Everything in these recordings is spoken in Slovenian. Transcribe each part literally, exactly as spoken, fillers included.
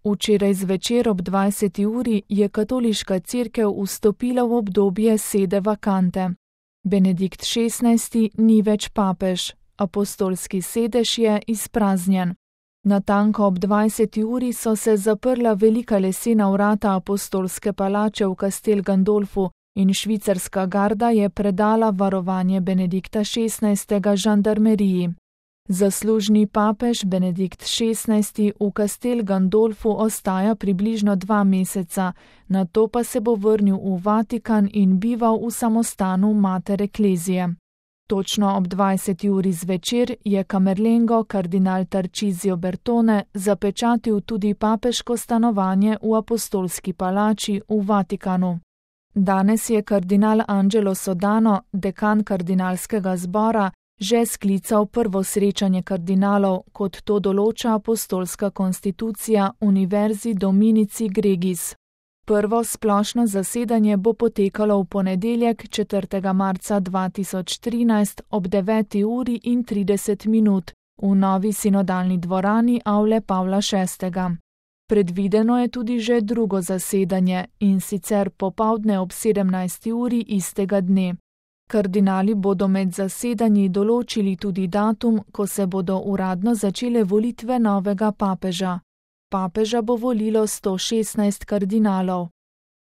Včeraj zvečer ob dvajseti uri je katoliška cerkev vstopila v obdobje sede vakante. Benedikt šestnajsti ni več papež, apostolski sedež je izpraznjen. Natanko ob dvajseti uri so se zaprla velika lesena vrata apostolske palače v Castel Gandolfu in švicarska garda je predala varovanje Benedikta šestnajstega žandarmeriji. Zaslužni papež Benedikt šestnajsti v Castel Gandolfu ostaja približno dva meseca, nato pa se bo vrnil v Vatikan in bival v samostanu Mater Ecclesiae. Točno ob dvajseti uri zvečer je Camerlengo kardinal Tarcisio Bertone zapečatil tudi papeško stanovanje v apostolski palači v Vatikanu. Danes je kardinal Angelo Sodano, dekan kardinalskega zbora, že sklical prvo srečanje kardinalov, kot to določa apostolska konstitucija Universi Dominici Gregis. Prvo splošno zasedanje bo potekalo v ponedeljek četrtega marca dva tisoč trinajst ob deveti uri in trideset minut v novi sinodalni dvorani Avle Pavla šestega. Predvideno je tudi že drugo zasedanje, in sicer popoldne ob sedemnajsti uri istega dne. Kardinali bodo med zasedanji določili tudi datum, ko se bodo uradno začele volitve novega papeža. Papeža bo volilo sto šestnajst kardinalov.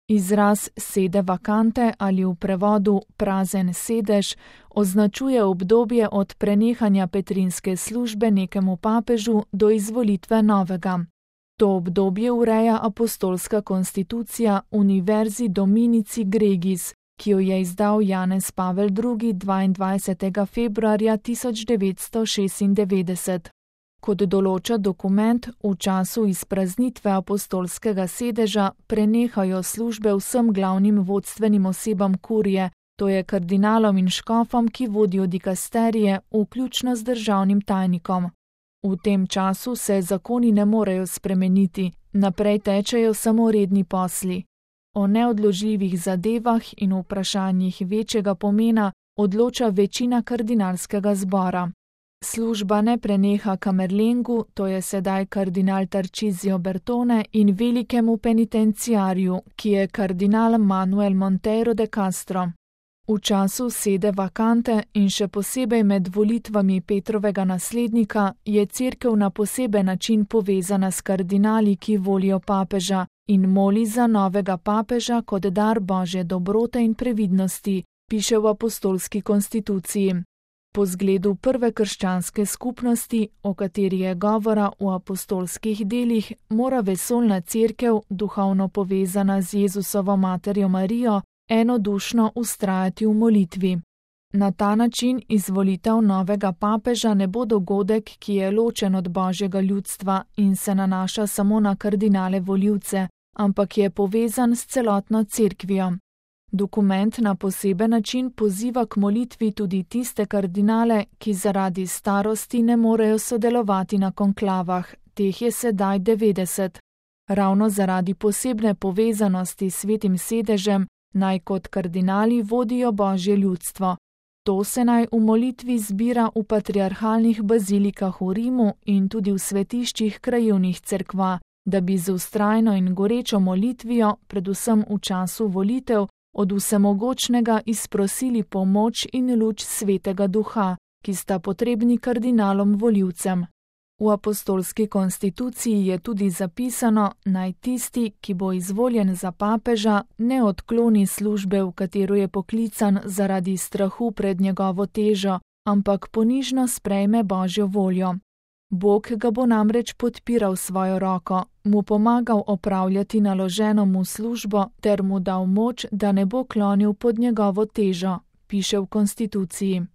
Izraz sede vakante ali v prevodu prazen sedež označuje obdobje od prenehanja petrinske službe nekemu papežu do izvolitve novega. To obdobje ureja apostolska konstitucija Universi Dominici Gregis, ki jo je izdal Janez Pavel drugi dvaindvajsetega februarja tisoč devetsto šestindevetdeset. Kot določa dokument, v času izpraznitve apostolskega sedeža prenehajo službe vsem glavnim vodstvenim osebam kurije, to je kardinalom in škofom, ki vodijo dikasterije, vključno z državnim tajnikom. V tem času se zakoni ne morejo spremeniti, naprej tečejo samo redni posli. O neodložljivih zadevah in vprašanjih večjega pomena odloča večina kardinalskega zbora. Služba ne preneha Camerlengu, to je sedaj kardinal Tarcisio Bertone, in velikemu penitenciarju, ki je kardinal Manuel Monteiro de Castro. V času sede vakante in še posebej med volitvami Petrovega naslednika je cerkev na poseben način povezana s kardinali, ki volijo papeža, in moli za novega papeža kot dar Božje dobrote in previdnosti, piše v apostolski konstituciji. Po zgledu prve krščanske skupnosti, o kateri je govora v apostolskih delih, mora vesoljna cerkev, duhovno povezana z Jezusovo materjo Marijo, enodušno vztrajati v molitvi. Na ta način izvolitev novega papeža ne bo dogodek, ki je ločen od Božjega ljudstva in se nanaša samo na kardinale volivce, ampak je povezan s celotno cerkvijo. Dokument na poseben način poziva k molitvi tudi tiste kardinale, ki zaradi starosti ne morejo sodelovati na konklavah, teh je sedaj devetdeset. Ravno zaradi posebne povezanosti s svetim sedežem naj kot kardinali vodijo Božje ljudstvo. To se naj v molitvi zbira v patriarhalnih bazilikah v Rimu in tudi v svetiščih krajevnih cerkva, da bi z vztrajno in gorečo molitvijo, predvsem v času volitev, od vsemogočnega izprosili pomoč in luč svetega duha, ki sta potrebni kardinalom volivcem. V apostolski konstituciji je tudi zapisano, naj tisti, ki bo izvoljen za papeža, ne odkloni službe, v katero je poklican zaradi strahu pred njegovo težo, ampak ponižno sprejme Božjo voljo. Bog ga bo namreč podpiral svojo roko, mu pomagal opravljati naloženo mu službo ter mu dal moč, da ne bo klonil pod njegovo težo, piše v konstituciji.